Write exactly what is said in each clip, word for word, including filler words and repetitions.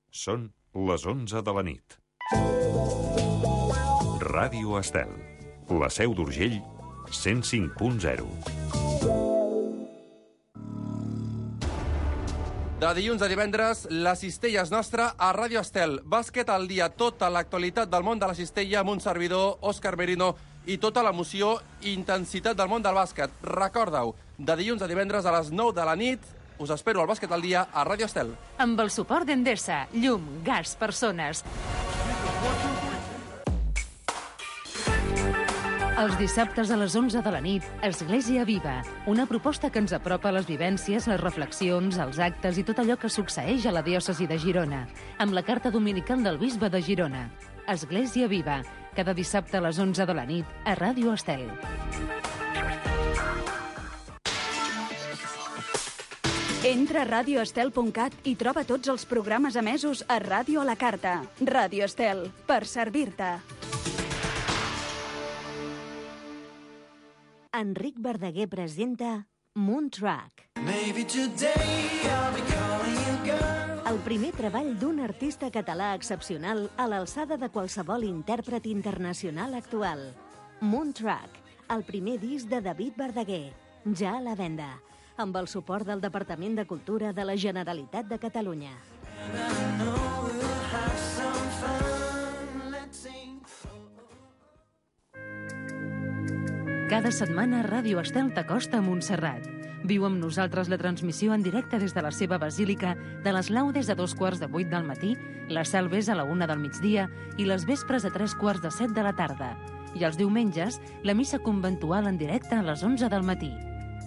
Són les onze de la nit. Ràdio Estel, la Seu d'Urgell, cent cinc punt zero. De dilluns a divendres, la cistella és nostra a Ràdio Estel. Bàsquet al dia, tota l'actualitat del món de la cistella amb un servidor, Òscar Merino, i tota l'emoció i intensitat del món del bàsquet. Recorda-ho, de dilluns a divendres a les nou de la nit, us espero al Bàsquet al dia a Ràdio Estel. Amb el suport d'Endesa, llum, gas, persones. Els dissabtes a les onze de la nit, Església Viva, una proposta que ens apropa a les vivències, les reflexions, els actes i tot allò que succeeix a la diòcesi de Girona, amb la carta dominical del bisbe de Girona. Església Viva, cada dissabte a les onze de la nit, a Ràdio Estel. Entra a ràdio estel punt cat i troba tots els programes emesos a Ràdio a la Carta. Ràdio Estel, per servir-te. Enric Verdaguer presenta Moontrack. El primer treball d'un artista català excepcional a l'alçada de qualsevol intèrpret internacional actual. Moontrack, el primer disc de David Verdaguer, ja a la venda, amb el suport del Departament de Cultura de la Generalitat de Catalunya. Cada setmana Ràdio Estel t'acosta a Montserrat. Viu amb nosaltres la transmissió en directe des de la seva basílica de les laudes a dos quarts de vuit del matí, les salves a la una del migdia i les vespres a tres quarts de set de la tarda. I els diumenges, la missa conventual en directe a les onze del matí.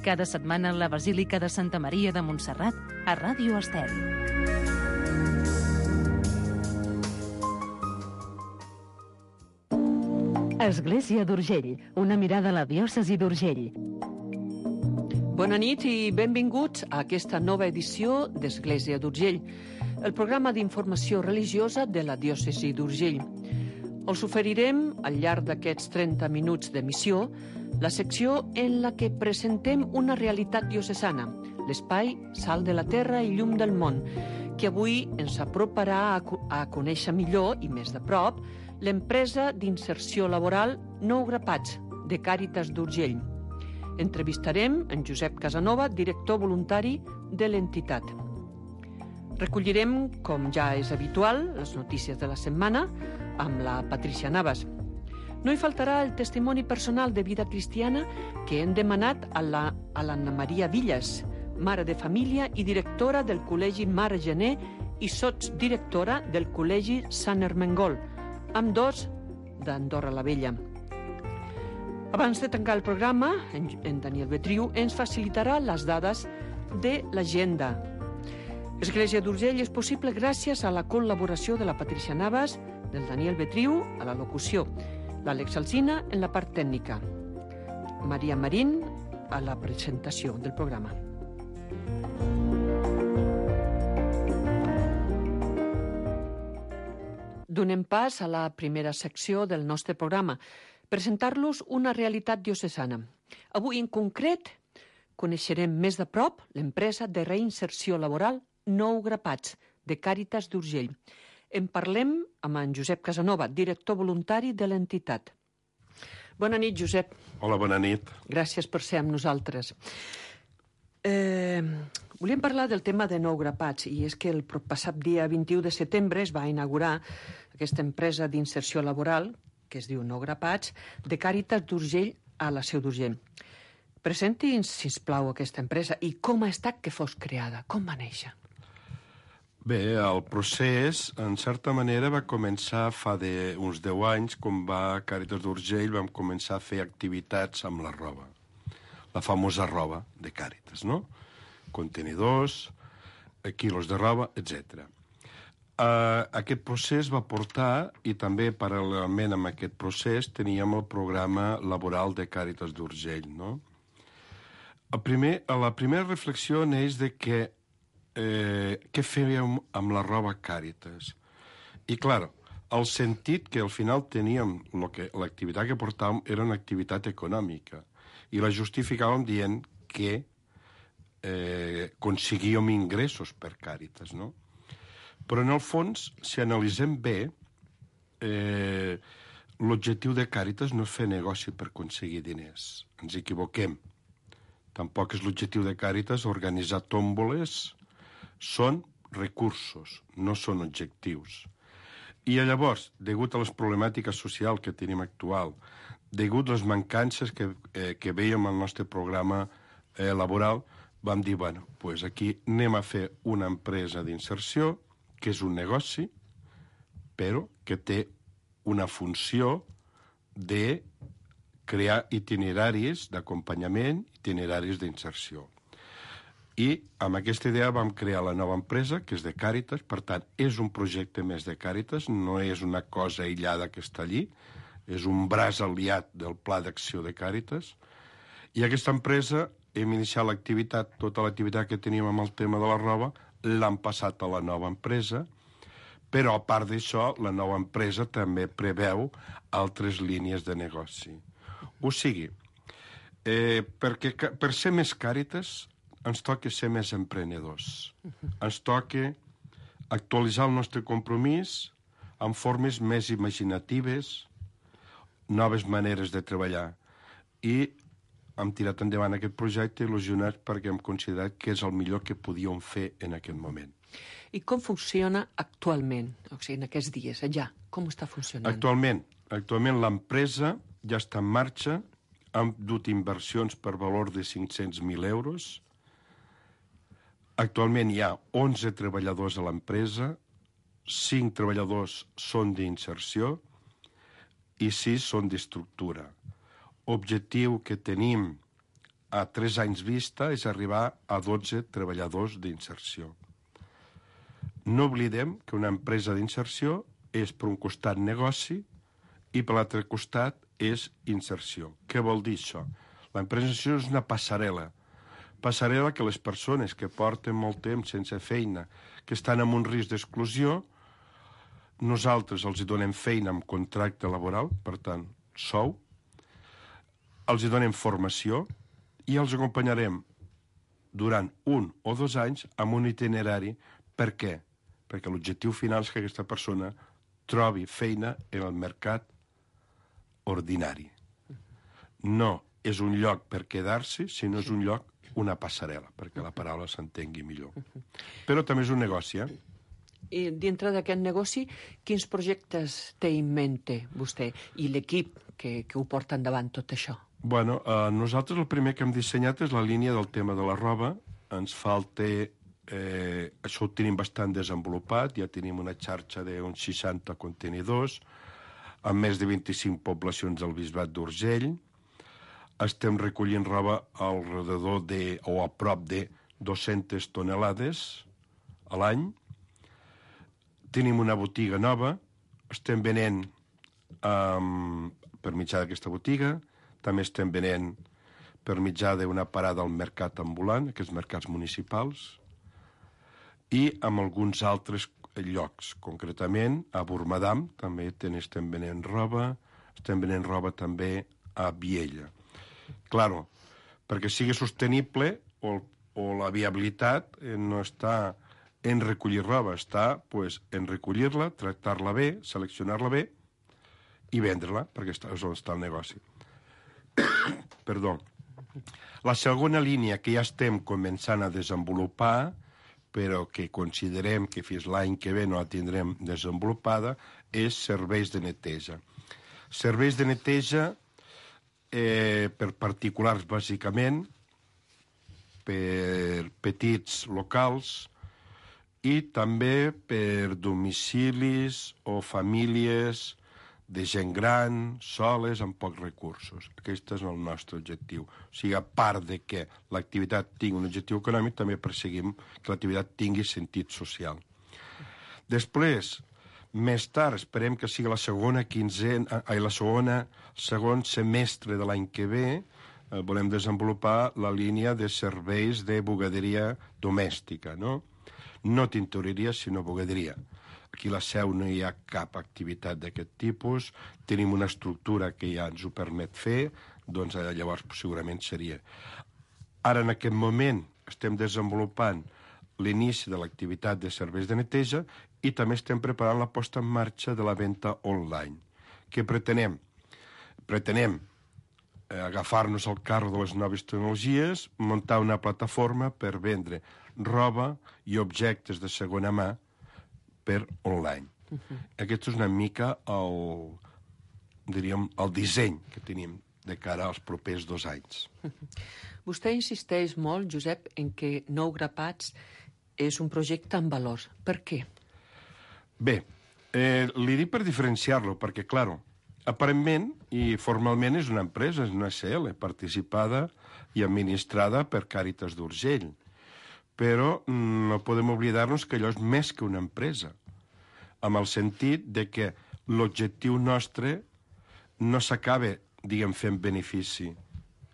Cada setmana la Basílica de Santa Maria de Montserrat a Ràdio Estel. Església d'Urgell, una mirada a la diòcesi d'Urgell. Bona nit i benvinguts a aquesta nova edició d'Església d'Urgell, el programa d'informació religiosa de la diòcesi d'Urgell. Us oferirem, al llarg d'aquests trenta minuts d'emissió, la secció en la que presentem una realitat diocesana, l'espai Sal de la Terra i Llum del Món, que avui ens aproparà a, a conèixer millor i més de prop l'empresa d'inserció laboral Nou Grapats, de Càritas d'Urgell. Entrevistarem en Josep Casanova, director voluntari de l'entitat. Recollirem, com ja és habitual, les notícies de la setmana amb la Patricia Navas. No hi faltarà el testimoni personal de vida cristiana que hem demanat a la, a l'Anna Maria Villas, mare de família i directora del Col·legi Mare Gené i sotsdirectora del Col·legi Sant Ermengol, amb dos d'Andorra la Vella. Abans de tancar el programa, en, en Daniel Betriu ens facilitarà les dades de l'agenda. Església d'Urgell és possible gràcies a la col·laboració de la Patricia Navas, del Daniel Betriu a la locució, l'Àlex Alsina en la part tècnica, Maria Marín a la presentació del programa. Donem pas a la primera secció del nostre programa, presentar-los una realitat diocesana. Avui, en concret, coneixerem més de prop l'empresa de reinserció laboral Nou Grapats, de Càritas d'Urgell. En parlem amb en Josep Casanova, director voluntari de l'entitat. Bona nit, Josep. Hola, bona nit. Gràcies per ser amb nosaltres. Eh, volíem parlar del tema de Nou Grapats, i és que el passat dia vint-i-u de setembre es va inaugurar aquesta empresa d'inserció laboral, que es diu Nou Grapats, de Càritas d'Urgell a la Seu d'Urgell. Presenti'ns, sisplau, aquesta empresa i com ha estat que fos creada, com va néixer. Bé, el procés, en certa manera, va començar fa de, uns deu anys, quan va Càritas d'Urgell vam començar a fer activitats amb la roba. La famosa roba de Càritas, no? Contenidors, quilos de roba, etcètera. Uh, aquest procés va portar, i també paral·lelament amb aquest procés, teníem el programa laboral de Càritas d'Urgell, no? El primer, la primera reflexió neix de que eh, què fèiem amb la roba Càritas. I, clar, el sentit que al final teníem, lo que, l'activitat que portàvem era una activitat econòmica, i la justificàvem dient que eh, aconseguíem ingressos per Càritas, no? Però, en el fons, si analitzem bé, eh, l'objectiu de Càritas no és fer negoci per aconseguir diners. Ens equivoquem. Tampoc és l'objectiu de Càritas organitzar tòmboles. Són recursos, no són objectius. I llavors, degut a les problemàtiques socials que tenim actual, degut a les mancances que, eh, que veiem al nostre programa eh, laboral, vam dir, bueno, pues aquí anem a fer una empresa d'inserció, que és un negoci, però que té una funció de crear itineraris d'acompanyament, itineraris d'inserció. I amb aquesta idea vam crear la nova empresa, que és de Càritas. Per tant, és un projecte més de Càritas, no és una cosa aïllada que està allí, és un braç aliat del Pla d'Acció de Càritas. I aquesta empresa, hem iniciat l'activitat, tota l'activitat que teníem amb el tema de la roba, l'han passat a la nova empresa, però a part d'això, la nova empresa també preveu altres línies de negoci. O sigui, eh, perquè, per ser més Càritas, ens toca ser més emprenedors. Ens toca actualitzar el nostre compromís amb formes més imaginatives, noves maneres de treballar. I hem tirat endavant aquest projecte il·lusionats perquè hem considerat que és el millor que podíem fer en aquest moment. I com funciona actualment, o sigui, en aquests dies, allà? Com està funcionant? Actualment, actualment l'empresa ja està en marxa, hem dut inversions per valor de cinc-cents mil euros. Actualment hi ha onze treballadors a l'empresa, cinc treballadors són d'inserció i sis són d'estructura. Objectiu que tenim a tres anys vista és arribar a dotze treballadors d'inserció. No oblidem que una empresa d'inserció és per un costat negoci i per l'altre costat és inserció. Què vol dir això? L'empresa d'inserció és una passarel·la. Passarel·la que les persones que porten molt temps sense feina, que estan en un risc d'exclusió, nosaltres els donem feina amb contracte laboral, per tant, sou, els donem formació i els acompanyarem durant un o dos anys amb un itinerari. Per què? Perquè l'objectiu final és que aquesta persona trobi feina en el mercat ordinari. No és un lloc per quedar-se, sinó és un lloc, una passarel·la, perquè la paraula s'entengui millor. Però també és un negoci, eh? I dintre d'aquest negoci, quins projectes té en mente vostè i l'equip que, que ho porta endavant tot això? Bueno, eh, nosaltres el primer que hem dissenyat és la línia del tema de la roba. Ens falta... Eh, això ho tenim bastant desenvolupat, ja tenim una xarxa d'uns seixanta contenidors, amb més de vint-i-cinc poblacions del Bisbat d'Urgell. Estem recollint roba al redador de, o a prop de dues-centes tonelades a l'any. Tenim una botiga nova, estem venent um, per mitjà d'aquesta botiga, també estem venent per mitjà d'una parada al mercat ambulant, aquests mercats municipals, i amb alguns altres llocs. Concretament, a Bormadam també estem venent roba, estem venent roba també a Viella. Claro, perquè sigui sostenible o, o la viabilitat eh, no està en recollir roba, està pues, en recollir-la, tractar-la bé, seleccionar-la bé i vendre-la, perquè està, és on està el negoci. Perdó. La segona línia que ja estem començant a desenvolupar, però que considerem que fins l'any que ve no la tindrem desenvolupada, és serveis de neteja. Serveis de neteja eh, per particulars, bàsicament, per petits locals i també per domicilis o famílies de gent gran, soles, amb pocs recursos. Aquest és el nostre objectiu. O sigui, a part de que l'activitat tingui un objectiu econòmic, també perseguim que l'activitat tingui sentit social. Després, més tard, esperem que sigui la segona quinzena, ai, la segona, segon semestre de l'any que ve, eh, volem desenvolupar la línia de serveis de bugaderia domèstica, no? No tintoreria, sinó bugaderia. Aquí a la Seu no hi ha cap activitat d'aquest tipus, tenim una estructura que ja ens ho permet fer, doncs llavors segurament seria. Ara, en aquest moment, estem desenvolupant l'inici de l'activitat de serveis de neteja i també estem preparant la posta en marxa de la venda online. Què pretenem? Pretenem eh, agafar-nos al carro de les noves tecnologies, muntar una plataforma per vendre roba i objectes de segona mà per online. Uh-huh. Aquest és una mica el, diríem, el disseny que tenim de cara als propers dos anys. Uh-huh. Vostè insisteix molt, Josep, en que Nou Grapats és un projecte amb valors. Per què? Bé, eh, li dic per diferenciar-lo, perquè, clar, aparentment i formalment és una empresa, és una S L, participada i administrada per Càritas d'Urgell. Però no podem oblidar-nos que allò és més que una empresa, amb el sentit de que l'objectiu nostre no s'acaba, diguem, fent benefici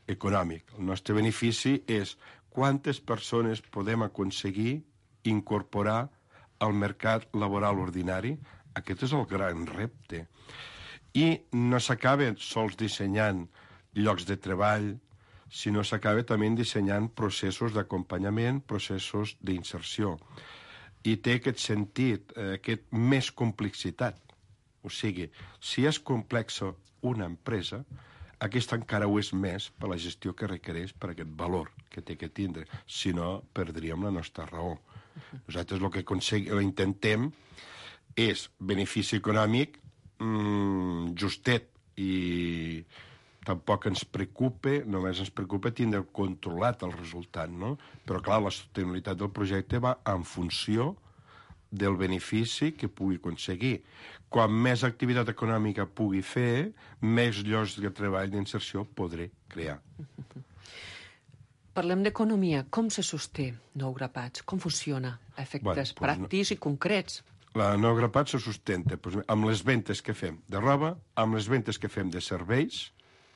econòmic. El nostre benefici és quantes persones podem aconseguir incorporar al mercat laboral ordinari. Aquest és el gran repte. I no s'acaba sols dissenyant llocs de treball, sinó s'acaba també dissenyant processos d'acompanyament, processos d'inserció. I té aquest sentit, eh, aquest més complexitat. O sigui, si és complexa una empresa, aquesta encara ho és més per la gestió que requereix, per aquest valor que té que tindre. Si no, perdríem la nostra raó. Nosaltres el que aconseguim, intentem és benefici econòmic mmm, justet, i tampoc ens preocupa, només ens preocupa tindre controlat el resultat, no? Però, clar, la sostenibilitat del projecte va en funció del benefici que pugui aconseguir. Quan més activitat econòmica pugui fer, més llocs de treball d'inserció podré crear. Parlem d'economia. Com se sosté Nou Grapats? Com funciona? Efectes bueno, pues pràctics no. i concrets. La Nou Grapats se sustenta pues, amb les ventes que fem de roba, amb les ventes que fem de serveis,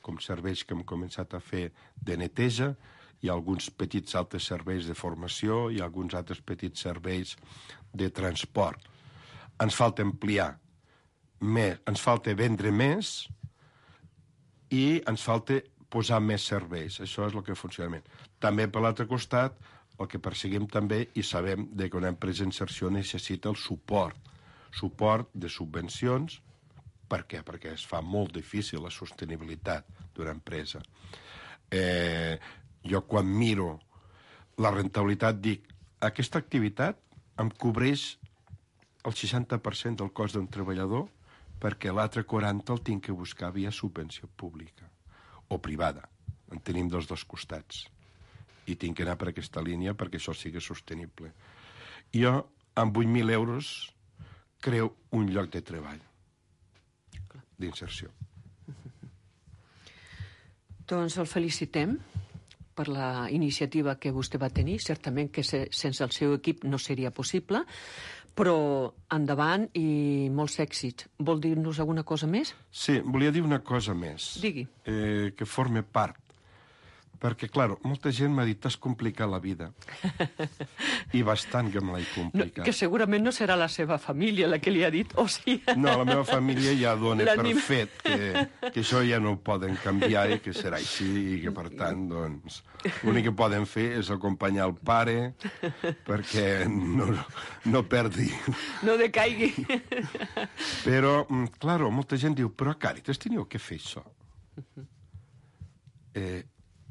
com serveis que hem començat a fer de neteja, hi ha alguns petits altres serveis de formació i alguns altres petits serveis de transport. Ens falta ampliar més, ens falta vendre més i ens falta posar més serveis. Això és el que funciona. També, per l'altre costat, el que perseguim també, i sabem que una empresa d'inserció necessita el suport. Suport de subvencions. Per què? Perquè es fa molt difícil la sostenibilitat d'una empresa. Eh... Jo, quan miro la rentabilitat, dic, aquesta activitat em cobreix el seixanta per cent del cost d'un treballador perquè l'altre quaranta el tinc que buscar via subvenció pública o privada. En tenim dels dos costats. I tinc que anar per aquesta línia perquè això sigui sostenible. Jo, amb vuit mil euros, creo un lloc de treball d'inserció. Doncs el felicitem per la iniciativa que vostè va tenir. Certament que se, sense el seu equip no seria possible, però endavant i molts èxits. Vol dir-nos alguna cosa més? Sí, volia dir una cosa més. Digui. Eh, que forme part. Perquè, clar, molta gent m'ha dit, t'has complicat la vida. I bastant que me l'he complicat. No, que segurament no serà la seva família la que li ha dit, o sigui... No, la meva família ja dona per fet que, que això ja no ho poden canviar i que serà així i que, per tant, doncs, l'únic que poden fer és acompanyar el pare perquè no, no perdi. No decaigui. Però, clar, molta gent diu, però a Càritas teníeu que fer això. Eh...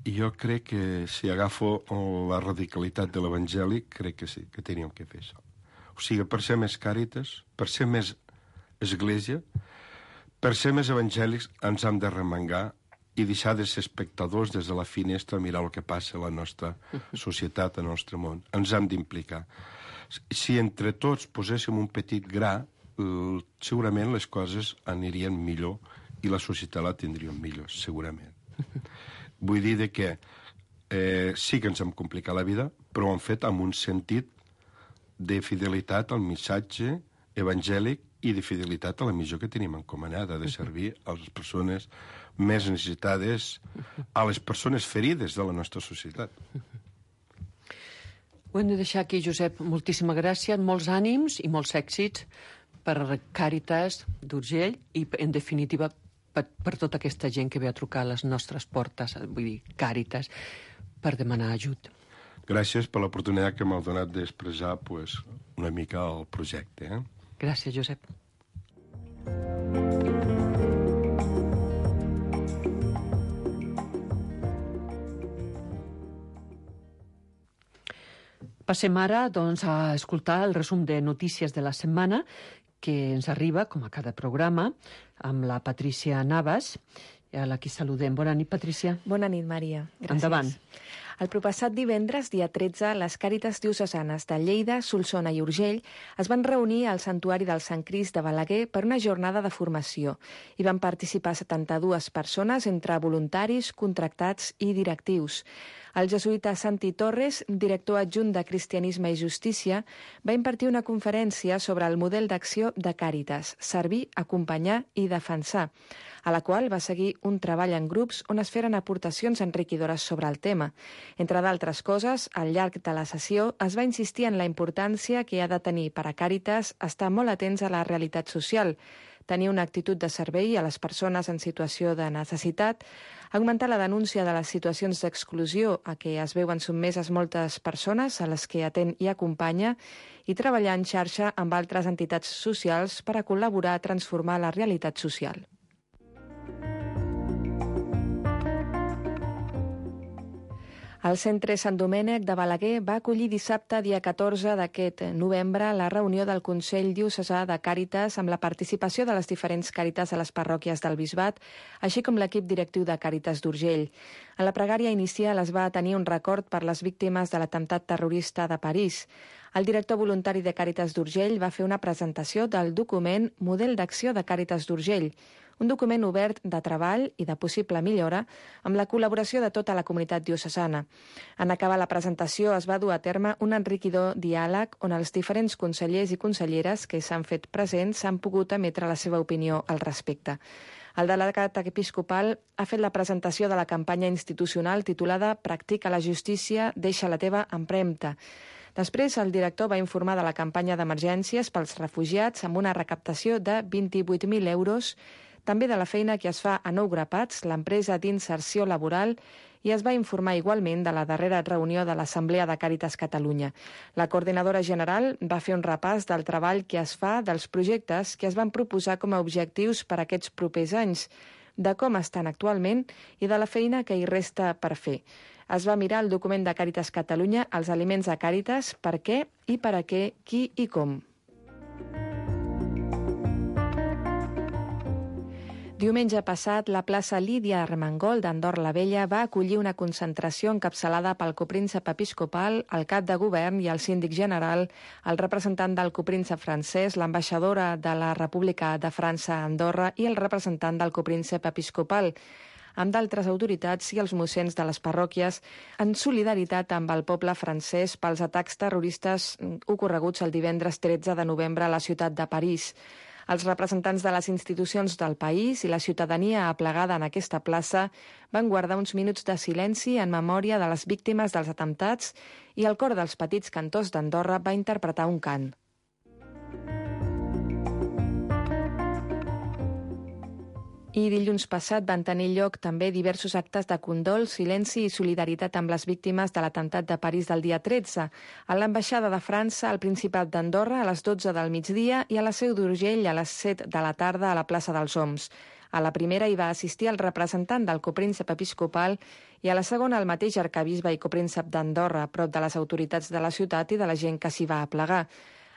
I jo crec que si agafo la radicalitat de l'Evangeli, crec que sí, que teníem que fer això. O sigui, per ser més Càritas, per ser més església, per ser més evangèlics, ens hem de remengar i deixar de ser espectadors des de la finestra a mirar el que passa a la nostra societat, al nostre món. Ens hem d'implicar. Si entre tots poséssim un petit gra, segurament les coses anirien millor i la societat la tindríem millor, segurament. Vull dir de que eh, sí que ens hem complicat la vida, però ho hem fet amb un sentit de fidelitat al missatge evangèlic i de fidelitat a la missió que tenim encomanada, de servir a les persones més necessitades, a les persones ferides de la nostra societat. Ho hem de deixar aquí, Josep. Moltíssimes gràcies, molts ànims i molts èxits per Càritas d'Urgell i, en definitiva, per, per tota aquesta gent que ve a trucar a les nostres portes, vull dir, Càritas, per demanar ajut. gràcies per l'oportunitat que m'heu donat d'expressar pues, una mica el projecte. Eh? Gràcies, Josep. Passem ara doncs, a escoltar el resum de notícies de la setmana que ens arriba, com a cada programa, amb la Patrícia Navas, a la que saludem. Bona nit, Patrícia. Bona nit, Maria. Gràcies. Endavant. El proppassat divendres, dia tretze, les Càritas diocesanes de Lleida, Solsona i Urgell es van reunir al Santuari del Sant Crist de Balaguer per una jornada de formació. Hi van participar setanta-dues persones entre voluntaris, contractats i directius. El jesuïta Santi Torres, director adjunt de Cristianisme i Justícia, va impartir una conferència sobre el model d'acció de Càritas, servir, acompanyar i defensar, a la qual va seguir un treball en grups on es feren aportacions enriquidores sobre el tema. Entre d'altres coses, al llarg de la sessió es va insistir en la importància que ha de tenir per a Càritas estar molt atents a la realitat social, tenir una actitud de servei a les persones en situació de necessitat, augmentar la denúncia de les situacions d'exclusió a què es veuen sotmeses moltes persones a les que atén i acompanya i treballar en xarxa amb altres entitats socials per a col·laborar a transformar la realitat social. El Centre Sant Domènec de Balaguer va acollir dissabte, dia catorze d'aquest novembre, la reunió del Consell Diocesà de Càritas amb la participació de les diferents càritas a les parròquies del Bisbat, així com l'equip directiu de Càritas d'Urgell. En la pregària inicial es va tenir un record per les víctimes de l'atemptat terrorista de París. El director voluntari de Càritas d'Urgell va fer una presentació del document Model d'acció de Càritas d'Urgell, un document obert de treball i de possible millora amb la col·laboració de tota la comunitat diocesana. En acabar la presentació es va dur a terme un enriquidor diàleg on els diferents consellers i conselleres que s'han fet presents s'han pogut emetre la seva opinió al respecte. El delegat episcopal ha fet la presentació de la campanya institucional titulada Practica la justícia, deixa la teva empremta. Després, el director va informar de la campanya d'emergències pels refugiats amb una recaptació de vint-i-vuit mil euros, també de la feina que es fa a Nou Grapats, l'empresa d'inserció laboral, i es va informar igualment de la darrera reunió de l'Assemblea de Càritas Catalunya. La coordinadora general va fer un repàs del treball que es fa dels projectes que es van proposar com a objectius per a aquests propers anys, de com estan actualment i de la feina que hi resta per fer. Es va mirar el document de Càritas Catalunya, els aliments de Càritas, per què i per a què, qui i com. Diumenge passat, la plaça Lídia Armengol d'Andorra la Vella va acollir una concentració encapçalada pel copríncep episcopal, el cap de govern i el síndic general, el representant del copríncep francès, l'ambaixadora de la República de França a Andorra i el representant del copríncep episcopal, amb d'altres autoritats i els mossens de les parròquies, en solidaritat amb el poble francès pels atacs terroristes ocorreguts el divendres tretze de novembre a la ciutat de París. Els representants de les institucions del país i la ciutadania aplegada en aquesta plaça van guardar uns minuts de silenci en memòria de les víctimes dels atemptats i el cor dels petits cantors d'Andorra va interpretar un cant. I dilluns passat van tenir lloc també diversos actes de condol, silenci i solidaritat amb les víctimes de l'atemptat de París del dia tretze, a l'ambaixada de França, al Principat d'Andorra, a les dotze del migdia i a la Seu d'Urgell a les set de la tarda a la plaça dels Oms. A la primera hi va assistir el representant del copríncep episcopal i a la segona el mateix arcabisbe i copríncep d'Andorra, prop de les autoritats de la ciutat i de la gent que s'hi va aplegar.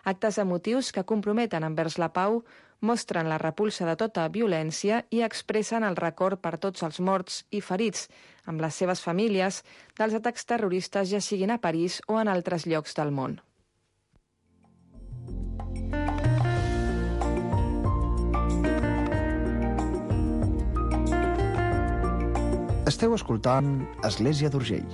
Actes emotius que comprometen envers la pau, mostren la repulsa de tota violència i expressen el record per tots els morts i ferits, amb les seves famílies, dels atacs terroristes ja siguin a París o en altres llocs del món. Esteu escoltant Església d'Urgell.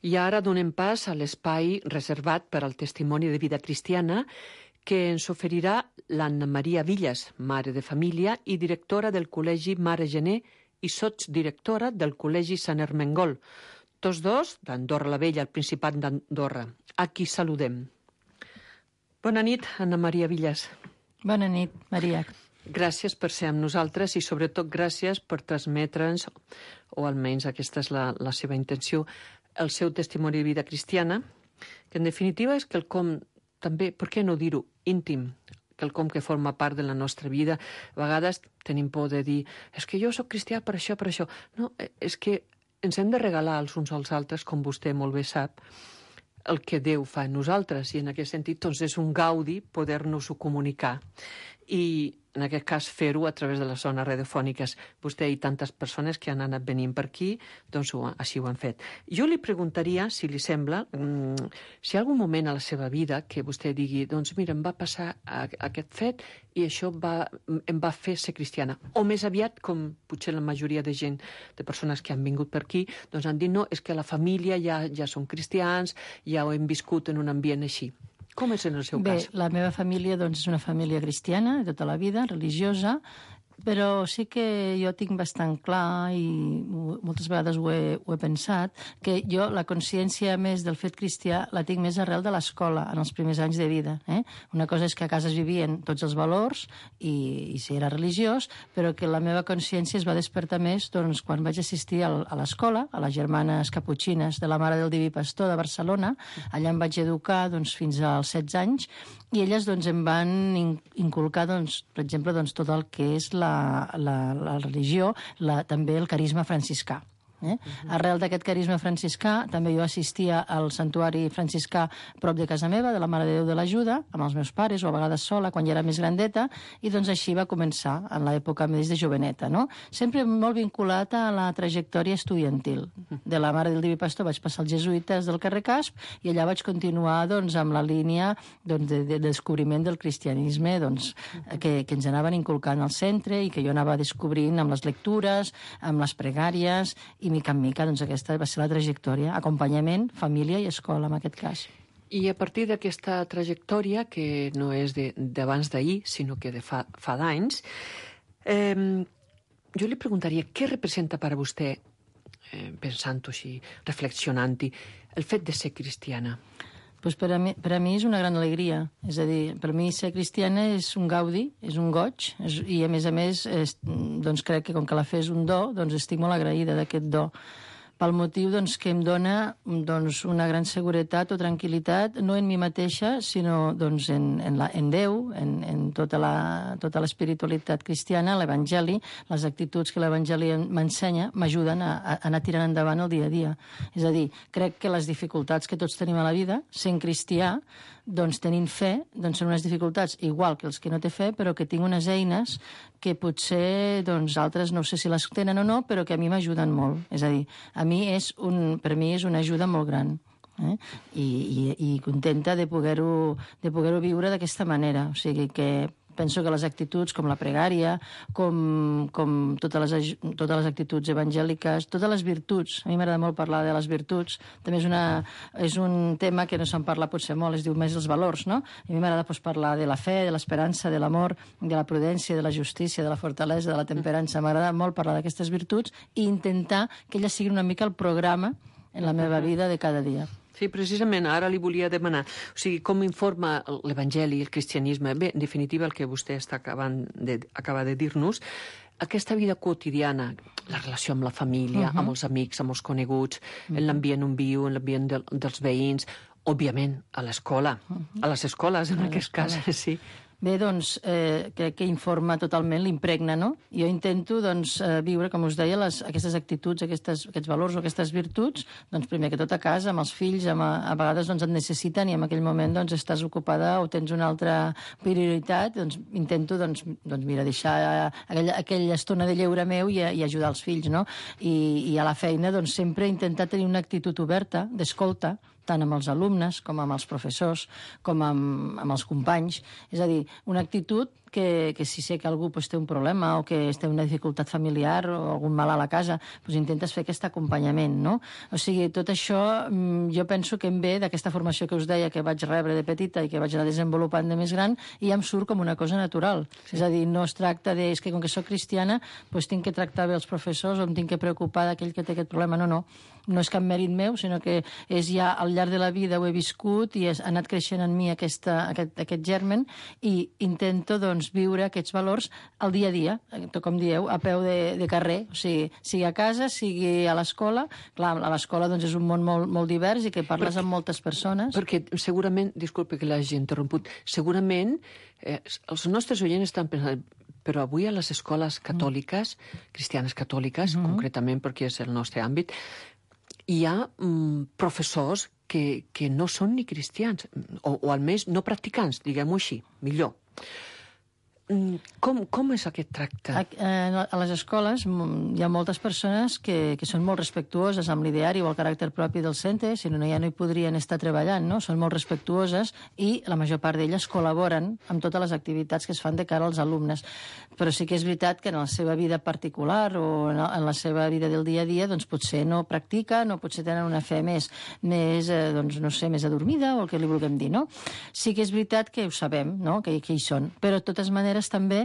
I ara donem pas a l'espai reservat per al testimoni de vida cristiana que ens oferirà l'Anna Maria Villas, mare de família i directora del Col·legi Mare Gené i sotsdirectora del Col·legi Sant Ermengol, tots dos d'Andorra la Vella, al Principat d'Andorra. A qui saludem. Bona nit, Anna Maria Villas. Bona nit, Maria. Gràcies per ser amb nosaltres i sobretot gràcies per transmetre'ns, o almenys aquesta és la, la seva intenció, el seu testimoni de vida cristiana, que en definitiva és quelcom també, per què no dir-ho, íntim, quelcom que forma part de la nostra vida. A vegades tenim por de dir, és que jo sóc cristià per això, per això. No, és que ens hem de regalar els uns als altres, com vostè molt bé sap, el que Déu fa en nosaltres, i en aquest sentit doncs, és un gaudi poder-nos-ho comunicar. I en aquest cas fer-ho a través de les zones radiofòniques. Vostè i tantes persones que han anat venint per aquí, doncs ho, així ho han fet. Jo li preguntaria, si li sembla, mmm, si hi ha algun moment a la seva vida que vostè digui, doncs mira, em va passar aquest fet i això va, em va fer ser cristiana. O més aviat, com potser la majoria de gent, de persones que han vingut per aquí, doncs han dit, no, és que la família ja, ja són cristians, ja ho hem viscut en un ambient així. Com és en el seu Bé, cas? Bé, la meva família doncs, és una família cristiana de tota la vida, religiosa, però sí que jo tinc bastant clar, i moltes vegades ho he, ho he pensat, que jo la consciència més del fet cristià la tinc més arrel de l'escola, en els primers anys de vida. Eh? Una cosa és que a casa es vivien tots els valors i, i si era religiós, però que la meva consciència es va despertar més doncs, quan vaig assistir al, a l'escola, a les germanes caputxines de la Mare del Diví Pastor de Barcelona. Allà em vaig educar doncs, fins als setze anys, i elles doncs, em van inculcar, doncs, per exemple, doncs, tot el que és la La, la, la religió, la, també el carisma franciscà. Eh? Uh-huh. Arrel d'aquest carisma franciscà, també jo assistia al santuari franciscà prop de casa meva, de la Mare de Déu de l'Ajuda, amb els meus pares, o a vegades sola, quan ja era més grandeta, i doncs així va començar, en l'època més de joveneta, no? Sempre molt vinculat a la trajectòria estudiantil. De la Mare del Diví Pastor vaig passar als jesuïtes del carrer Casp, i allà vaig continuar doncs, amb la línia doncs, de, de descobriment del cristianisme doncs, que, que ens anaven inculcant al centre i que jo anava descobrint amb les lectures, amb les pregàries, i mica en mica, doncs aquesta va ser la trajectòria. Acompanyament, família i escola, en aquest cas. I a partir d'aquesta trajectòria, que no és d'abans d'ahir, sinó que de fa, fa d'anys, eh, jo li preguntaria què representa per a vostè, eh, pensant-ho així, reflexionant-hi, el fet de ser cristiana? Pues per, a mi, per a mi és una gran alegria. És a dir, per a mi ser cristiana és un gaudi, és un goig, és, i a més a més és, doncs crec que com que la fe és un do, doncs estic molt agraïda d'aquest do. Pel motiu doncs, que em dona doncs, una gran seguretat o tranquil·litat, no en mi mateixa, sinó doncs, en, en, la, en Déu, en, en tota la, tota l'espiritualitat cristiana, l'Evangeli, les actituds que l'Evangeli m'ensenya, m'ajuden a, a anar tirant endavant el dia a dia. És a dir, crec que les dificultats que tots tenim a la vida, sent cristià, doncs tenint fe, doncs són unes dificultats igual que els que no té fe, però que tinc unes eines que potser doncs, altres no sé si les tenen o no, però que a mi m'ajuden molt. És a dir, a mi és un, per mi és una ajuda molt gran. Eh? I, i, i contenta de poder-ho de poder-ho viure d'aquesta manera. O sigui que penso que les actituds com la pregària, com, com totes, les, totes les actituds evangèliques, totes les virtuts, a mi m'agrada molt parlar de les virtuts, també és, una, és un tema que no se'n parla potser molt, es diu més els valors, no? A mi m'agrada pues, parlar de la fe, de l'esperança, de l'amor, de la prudència, de la justícia, de la fortalesa, de la temperança. M'agrada molt parlar d'aquestes virtuts i intentar que elles siguin una mica el programa en la meva vida de cada dia. Sí, precisament, ara li volia demanar, o sigui, com informa l'Evangeli, el cristianisme, bé, en definitiva, el que vostè està acabant de, acaba de dir-nos, aquesta vida quotidiana, la relació amb la família, uh-huh. amb els amics, amb els coneguts, uh-huh. en l'ambient on viu, en l'ambient de, dels veïns, òbviament, a l'escola, uh-huh. a les escoles, en a aquest cas, sí. Bé, doncs, eh, crec que informa totalment, l'impregna, no? Jo intento, doncs, eh, viure, com us deia, les, aquestes actituds, aquestes, aquests valors o aquestes virtuts, doncs, primer que tot a casa, amb els fills, amb, a, a vegades doncs, et necessiten i en aquell moment doncs, estàs ocupada o tens una altra prioritat, doncs, intento, doncs, doncs mira, deixar aquella, aquella estona de lleure meu i, i ajudar els fills, no? I, i a la feina, doncs, sempre intentar tenir una actitud oberta, d'escolta, tant amb els alumnes com amb els professors, com amb, amb els companys. És a dir, una actitud que, que si sé que algú pues, té un problema o que té una dificultat familiar o algun mal a la casa, pues, intentes fer aquest acompanyament, no? O sigui, tot això jo penso que em ve d'aquesta formació que us deia que vaig rebre de petita i que vaig anar desenvolupant de més gran i ja em surt com una cosa natural. Sí. És a dir, no es tracta de, és que com que soc cristiana, pues, tinc que tractar bé els professors o em tinc que preocupar d'aquell que té aquest problema. No, no. No és cap mèrit meu, sinó que és ja al llarg de la vida ho he viscut i ha anat creixent en mi aquesta, aquest, aquest germen i intento doncs, viure aquests valors al dia a dia, com dieu, a peu de, de carrer, o sigui, sigui a casa, sigui a l'escola. Clar, a l'escola doncs, és un món molt, molt divers i que parles perquè, amb moltes persones. Perquè segurament, disculpe que l'hagi interromput, segurament eh, els nostres oients estan pensant, però avui a les escoles catòliques, mm. cristianes catòliques, mm-hmm. concretament perquè és el nostre àmbit, hi ha mm, professors que, que no són ni cristians, o, o almenys no practicants, diguem-ho així, millor. Com, com és aquest tracte? A, a les escoles hi ha moltes persones que, que són molt respectuoses amb l'ideari o el caràcter propi del centre, si no, ja no hi podrien estar treballant, no? Són molt respectuoses i la major part d'elles col·laboren amb totes les activitats que es fan de cara als alumnes. Però sí que és veritat que en la seva vida particular o en la seva vida del dia a dia doncs potser no practiquen o potser tenen una fe més, més eh, doncs, no sé, més adormida o el que li vulguem dir, no? Sí que és veritat que ho sabem, no? Que, que hi són, però de totes maneres també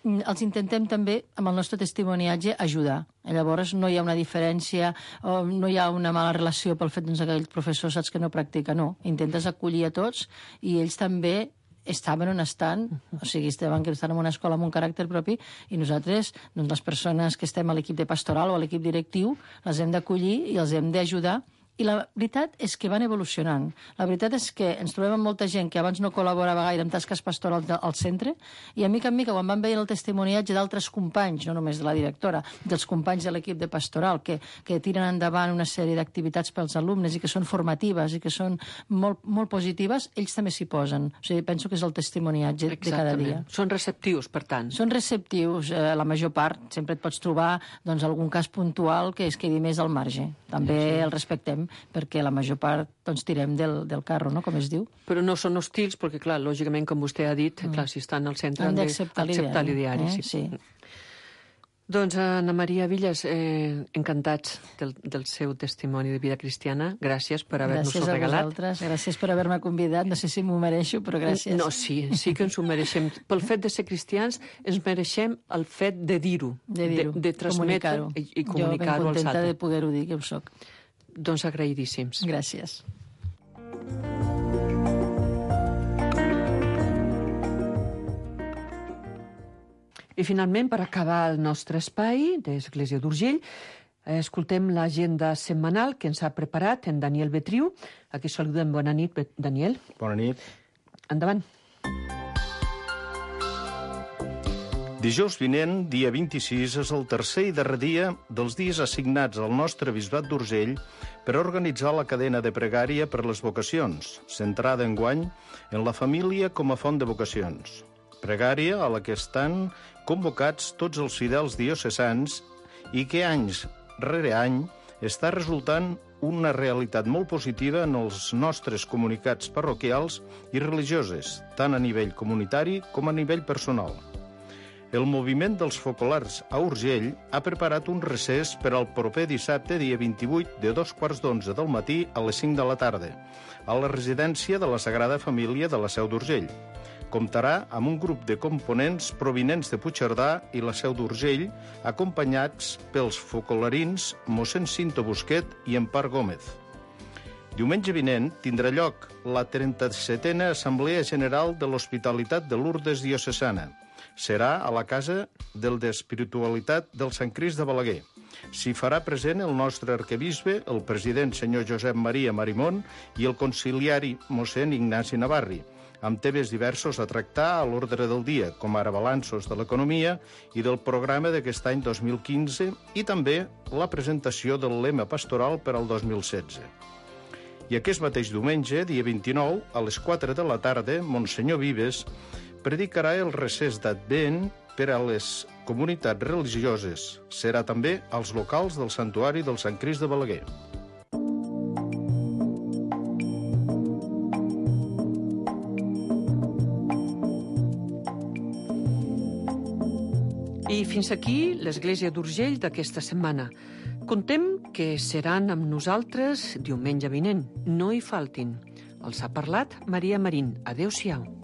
els intentem també, amb el nostre testimoniatge, ajudar. Llavors no hi ha una diferència, o no hi ha una mala relació pel fet doncs, que aquell professor saps que no practica, no. Intentes acollir a tots i ells també estaven on estan, o sigui, estaven que estan en una escola amb un caràcter propi i nosaltres, doncs, les persones que estem a l'equip de pastoral o a l'equip directiu, les hem d'acollir i els hem d'ajudar. I la veritat és que van evolucionant. La veritat és que ens trobem amb molta gent que abans no col·laborava gaire amb tasques pastorals al centre i a mica en mica, quan van veient el testimoniatge d'altres companys, no només de la directora, dels companys de l'equip de pastoral, que, que tiren endavant una sèrie d'activitats pels alumnes i que són formatives i que són molt, molt positives, ells també s'hi posen. O sigui, penso que és el testimoniatge Exactament. de cada dia. Són receptius, per tant. Són receptius, eh, la major part. Sempre et pots trobar doncs, algun cas puntual que es quedi més al marge. També sí, sí. el respectem, perquè la major part doncs, tirem del, del carro, no?, com es diu. Però no són hostils, perquè, clar, lògicament, com vostè ha dit, mm. clar, si estan al centre han d'acceptar l'ideari. Eh? Sí. sí. Doncs, Anna Maria Villas, eh, encantats del, del seu testimoni de vida cristiana. Gràcies per haver-nos-ho regalat. Gràcies a vosaltres, gràcies per haver-me convidat. No sé si m'ho mereixo, però gràcies. No, sí, sí que ens ho mereixem. Pel fet de ser cristians, ens mereixem el fet de dir-ho, de, dir de, de transmetre i, i comunicar-ho als altres. Jo ben contenta de poder-ho dir, que ho soc. Doncs agraïdíssims. Gràcies. I finalment, per acabar el nostre espai d'Església d'Urgell, escoltem l'agenda setmanal que ens ha preparat en Daniel Betriu. Aquí saludem. Bona nit, Daniel. Bona nit. Endavant. Dijous vinent, dia vint-i-sis, és el tercer i darrer dia dels dies assignats al nostre bisbat d'Urgell per organitzar la cadena de pregària per les vocacions, centrada enguany en la família com a font de vocacions. Pregària a la que estan convocats tots els fidels diocesans i que anys rere any està resultant una realitat molt positiva en els nostres comunicats parroquials i religioses, tant a nivell comunitari com a nivell personal. El moviment dels focolars a Urgell ha preparat un recés per al proper dissabte, dia vint-i-vuit, de dos quarts d'onze del matí a les cinc de la tarda, a la residència de la Sagrada Família de la Seu d'Urgell. Comptarà amb un grup de components provinents de Puigcerdà i la Seu d'Urgell, acompanyats pels focolarins mossèn Cinto Busquet i Empar Gómez. Diumenge vinent tindrà lloc la trenta-setena Assemblea General de l'Hospitalitat de Lourdes Diocesana. Serà a la Casa del d'Espiritualitat del Sant Crist de Balaguer. S'hi farà present el nostre arquebisbe, el president senyor Josep Maria Marimón i el conciliari mossèn Ignasi Navarri, amb temes diversos a tractar a l'ordre del dia, com ara balanços de l'economia i del programa d'aquest any dos mil quinze i també la presentació del lema pastoral per al dos mil setze. I aquest mateix diumenge, dia vint-i-nou, a les quatre de la tarda, Monsenyor Vives predicarà el recés d'Advent per a les comunitats religioses. Serà també als locals del Santuari del Sant Crist de Balaguer. fins aquí l'Església d'Urgell d'aquesta setmana. Contem que seran amb nosaltres diumenge vinent. No hi faltin. Els ha parlat Maria Marín. Adéu-siau.